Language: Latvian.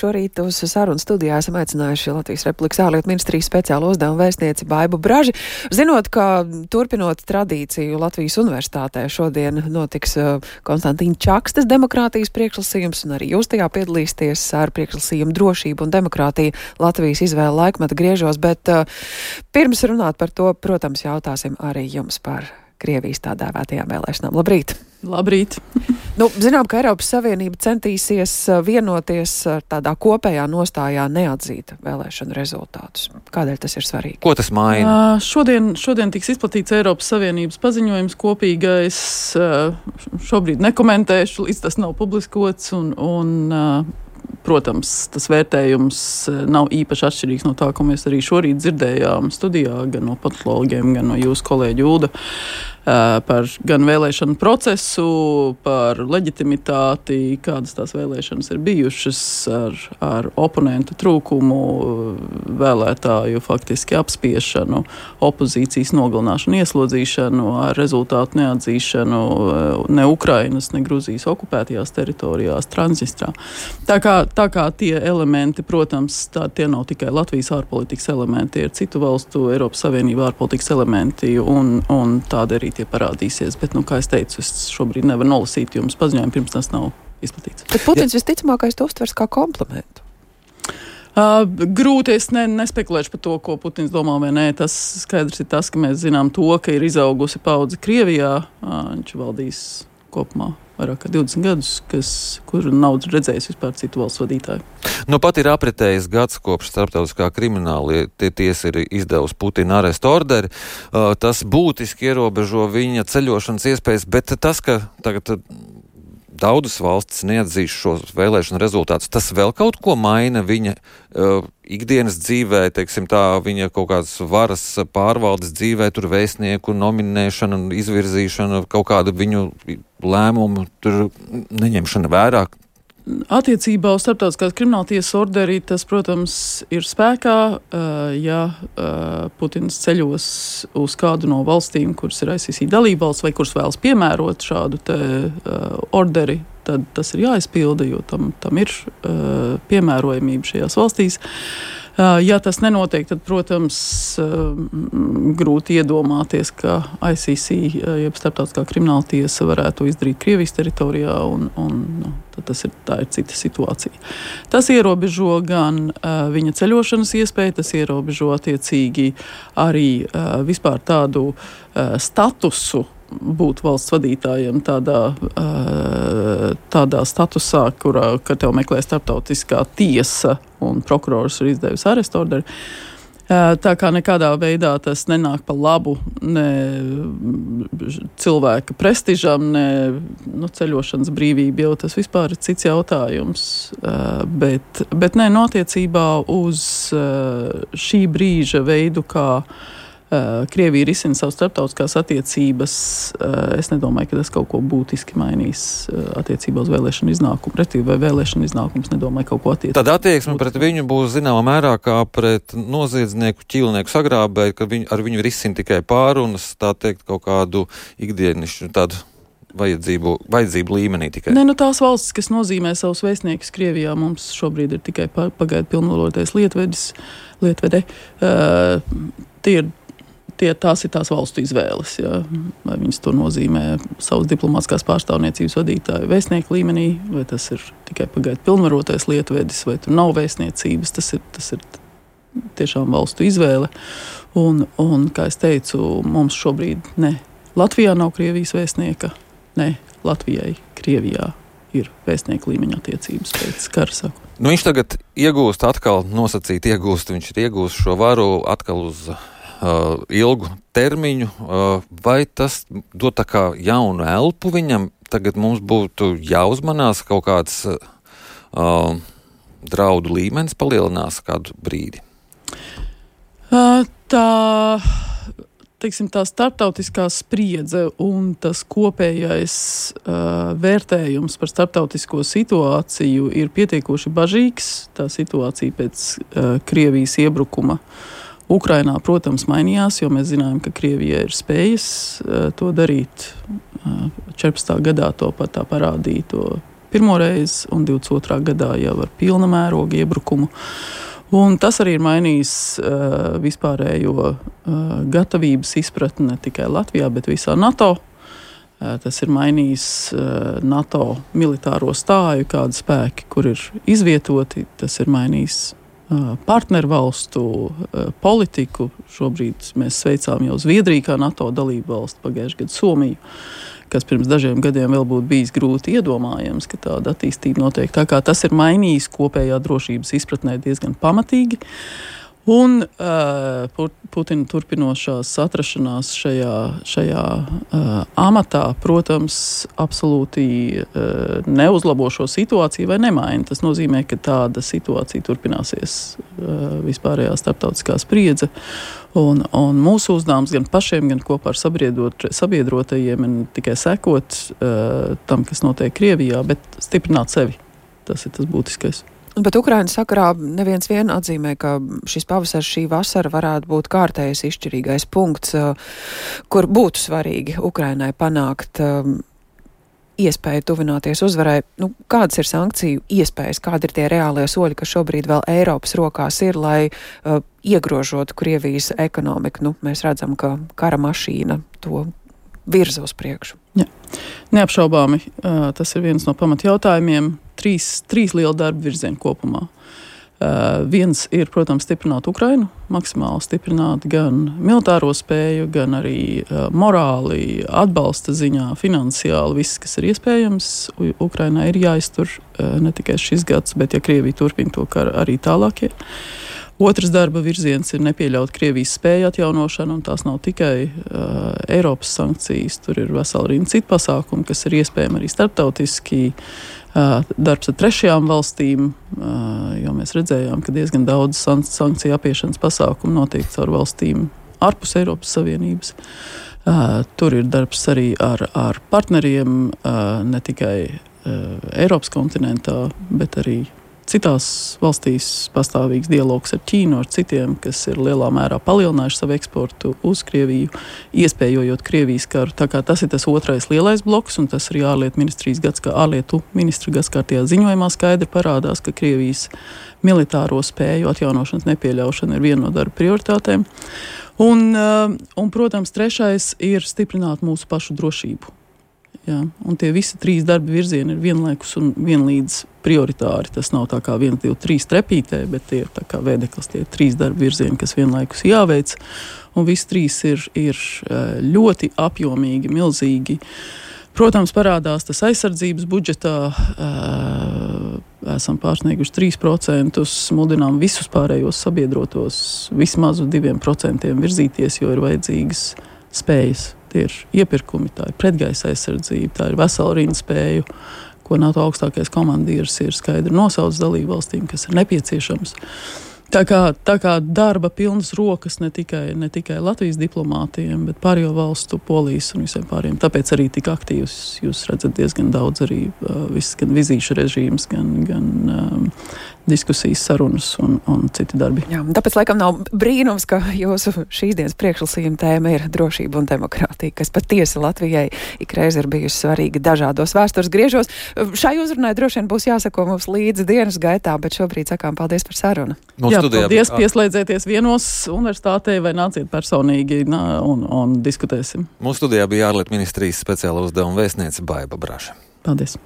Šorīt uz sarunu studijā esam aicinājuši Latvijas Republikas ārlietu ministrijas speciālo uzdevumu vēstnieci Baibu Braži. Zinot, ka turpinot tradīciju Latvijas universitātē šodien notiks Konstantīna Čakstas demokrātijas priekšlasījums, un arī jūs tajā piedalīsieties ar priekšlasījumu drošību un demokrātiju Latvijas izvēle laikmeta griežos, bet pirms runāt par to, protams, jautāsim arī jums par Krievijas tā dēvētajām vēlēšanām. Labrīt! Labrīt! Zinām, ka Eiropas Savienība centīsies vienoties tādā kopējā nostājā neatzīt vēlēšanu rezultātus. Kādēļ tas ir svarīgi? Ko tas maina? Šodien tiks izplatīts Eiropas Savienības paziņojums kopīgais. Šobrīd nekomentēšu, līdz tas nav publiskots protams, tas vērtējums nav īpaši atšķirīgs no tā, ko mēs arī šorīt dzirdējām studijā, gan no politologiem, gan no jūsu kolēģa Ulda, par gan vēlēšanu procesu, par leģitimitāti, kādas tās vēlēšanas ir bijušas ar oponentu trūkumu, vēlētāju faktiski apspiešanu, opozīcijas nogalināšanu, ieslodzīšanu, ar rezultātu neatzīšanu ne Ukrainas, ne Gruzijas okupētajās teritorijās, Transnistrā. Tā kā tie elementi, protams, tie nav tikai Latvijas ārpolitikas elementi, tie ir citu valstu Eiropas Savienība ārpolitikas elementi, un tādi arī tie parādīsies. Bet, kā es teicu, es šobrīd nevaru nolasīt jums paziņojumu, pirms tas nav izplatīts. Bet Putins visticamākais to uztvers kā komplimentu. Grūti, es nespekulēšu par to, ko Putins domā vai nē. Tas skaidrs ir tas, ka mēs zinām to, ka ir izaugusi paudze Krievijā. Viņš valdīs kopumā vairāk kā 20 gadus, kur nav redzējis vispār citu valsts vadītāju. Pat ir apritējis gads kopš starptautiskā krimināla tiesa ir izdevusi Putina arestu orderi. Tas būtiski ierobežo viņa ceļošanas iespējas, bet tas, ka tagad daudzas valstis neatzīst šos vēlēšanu rezultātus, tas vēl kaut ko maina viņa ikdienas dzīvē, teiksim tā, viņa kaut kādas varas pārvaldes dzīvē, tur vēstnieku nominēšana, izvirzīšana, kaut kādu viņu lēmumu tur neņemšana vērā. Attiecībā uz starptautiskās krimināltiesas orderi, tas, protams, ir spēkā, ja Putins ceļos uz kādu no valstīm, kuras ir ICC dalībvalsts vai kuras vēlas piemērot šādu te orderi, tad tas ir jāizpilda, jo tam ir piemērojamība šajās valstīs. Ja tas nenotiek, tad, protams, grūti iedomāties, ka ICC, jeb starptautiskā krimināla tiesa, varētu izdarīt Krievijas teritorijā, tad tā ir cita situācija. Tas ierobežo gan viņa ceļošanas iespēju, tas ierobežo attiecīgi arī vispār tādu statusu, būt valsts vadītājiem tādā statusā, ka tev meklē starptautiskā tiesa un prokurors ir izdevusi arestu orderi. Tā kā nekādā veidā tas nenāk pa labu ne cilvēka prestižam, ne ceļošanas brīvība, jau tas vispār ir cits jautājums. Bet attiecībā uz šī brīža veidu, kā Krievija risina savas starptautiskās attiecības, es nedomāju, ka tas kaut ko būtiski mainīs attiecībā uz vēlēšanu iznākumu. Vai vēlēšanu iznākums nedomāju kaut ko attiecībā. Tad attieksme pret viņu būs zināmā mērā kā pret noziedznieku, ķīlnieku sagrābēju, ka ar viņu risina tikai pārunas, tā teikt, kaut kādu ikdienišķu tādu vajadzību līmenī tikai. Tās valstis, kas nozīmē savus vēstniekus Krievijā, mums šobrīd ir tikai pagaidu pilnvarotais lietvede. Tās ir tās valstu izvēles, ja? Vai viņas to nozīmē savas diplomātiskās pārstāvniecības vadītāju vēstnieku līmenī, vai tas ir tikai pagaidu pilnvarotais lietvedis, vai tur nav vēstniecības, tas ir tiešām valstu izvēle. Un, kā es teicu, mums šobrīd ne Latvijā nav Krievijas vēstnieka, ne Latvijai Krievijā ir vēstnieku līmeņa attiecības pēc kara sākuma. Viņš tagad iegūst atkal, viņš ir iegūst šo varu atkal uz ilgu termiņu, vai tas dod tā kā jaunu elpu viņam? Tagad mums būtu jāuzmanās kaut kāds draudu līmenis palielinās kādu brīdi. Tā starptautiskā spriedze un tas kopējais vērtējums par starptautisko situāciju ir pietiekoši bažīgs. Tā situācija pēc Krievijas iebrukuma Ukrainā, protams, mainījās, jo mēs zinājām, ka Krievija ir spējas to darīt. 14. gadā to pat tā parādīja to pirmoreiz, un 22. gadā jau ar pilna mēroga iebrukumu. Un tas arī ir mainījis vispārējo gatavības izpratni ne tikai Latvijā, bet visā NATO. Tas ir mainījis NATO militāro stāju, kādi spēki, kur ir izvietoti. Tas ir mainījis partnervalstu politiku. Šobrīd mēs sveicām jau Zviedriju kā NATO dalību valstu, pagājušajā gadā Somiju, kas pirms dažiem gadiem vēl būtu bijis grūti iedomājams, ka tāda attīstība notiek. Tā kā tas ir mainījis kopējā drošības izpratnē diezgan pamatīgi. Un Putina turpinošās atrašanās šajā amatā, protams, absolūti neuzlabo šo situāciju vai nemaina. Tas nozīmē, ka tāda situācija turpināsies vispārējā starptautiskā spriedze. Un mūsu uzdevums gan pašiem, gan kopā ar sabiedrotajiem ir tikai sekot tam, kas notiek Krievijā, bet stiprināt sevi. Tas ir tas būtiskais. Bet Ukrainas sakarā neviens vien atzīmē, ka šis pavasars, šī vasara varētu būt kārtējais izšķirīgais punkts, kur būtu svarīgi Ukrainai panākt iespēju tuvināties uzvarai. Kādas ir sankciju iespējas, kādi ir tie reālie soļi, kas šobrīd vēl Eiropas rokās ir, lai iegrožotu Krievijas ekonomiku? Mēs redzam, ka kara mašīna to virza uz priekšu. Ja. Neapšaubāmi, tas ir viens no pamatjautājumiem. Trīs liela darba virzieni kopumā. Viens ir, protams, stiprināt Ukrainu, maksimāli stiprināt gan militāro spēju, gan arī morāli, atbalsta ziņā, finansiāli, viss, kas ir iespējams. Ukrainai ir jāiztur ne tikai šis gads, bet ja Krievija turpina to karu arī tālākie. Otrs darba virziens ir nepieļaut Krievijas spēju atjaunošanu, un tās nav tikai Eiropas sankcijas, tur ir vesela rinda citu pasākumu, kas ir iespējami arī starptautiski. Darbs ar trešajām valstīm, jo mēs redzējām, ka diezgan daudz sankciju apiešanas pasākumu notiek caur valstīm ārpus Eiropas Savienības. Tur ir darbs arī ar partneriem, ne tikai Eiropas kontinentā, bet arī citās valstīs pastāvīgs dialogs ar Ķīnu, ar citiem, kas ir lielā mērā palielinājuši savu eksportu uz Krieviju, iespējojot Krievijas karu. Tā kā tas ir tas otrais lielais bloks, un tas arī ārlietu ministra gadskārtējā ziņojumā skaidri parādās, ka Krievijas militāro spēju atjaunošanas nepieļaušana ir viena no darba prioritātēm. Un protams, trešais ir stiprināt mūsu pašu drošību. Jā, un tie visi trīs darba virzieni ir vienlaikus un vienlīdz prioritāri. Tas nav tā kā 1, 2, 3 trepītē, bet tie ir tā kā vēdeklis, tie ir trīs darba virzieni, kas vienlaikus jāveic. Un visi trīs ir ļoti apjomīgi, milzīgi. Protams, parādās tas aizsardzības budžetā. Esam pārsnieguši 3%, mudinām visus pārējos sabiedrotos vismaz uz 2% virzīties, jo ir vajadzīgas spējas. Tie ir iepirkumi, tā ir pretgaisa aizsardzība, tā ir vesela rinda spēju, ko NATO augstākais komandieris ir skaidri nosaucis dalību valstīm, kas ir nepieciešams. Tā kā darba pilnas rokas ne tikai Latvijas diplomātiem, bet pārējo valstu, Polijas un visiem pārējiem. Tāpēc arī tik aktīvs jūs redzat diezgan daudz arī viss, gan vizīšu režīms, gan diskusijas, sarunas un citi darbi. Jā, tāpēc laikam nav brīnums, ka jūsu šīs dienas priekšlasījuma tēma ir drošība un demokrātija, kas patiesi Latvijai ikreiz ir bijusi svarīga dažādos vēstures griežos. Šai uzrunai droši vien būs jāsako mums līdzi dienas gaitā, bet šobrīd sakām paldies par sarunu. Jā, paldies, pieslēdzieties vienos universitātei vai nāciet personīgi un diskutēsim. Mūsu studijā bija ārlietu ministrijas speciāla uzdevuma vēstniece Baiba Braža. Paldies.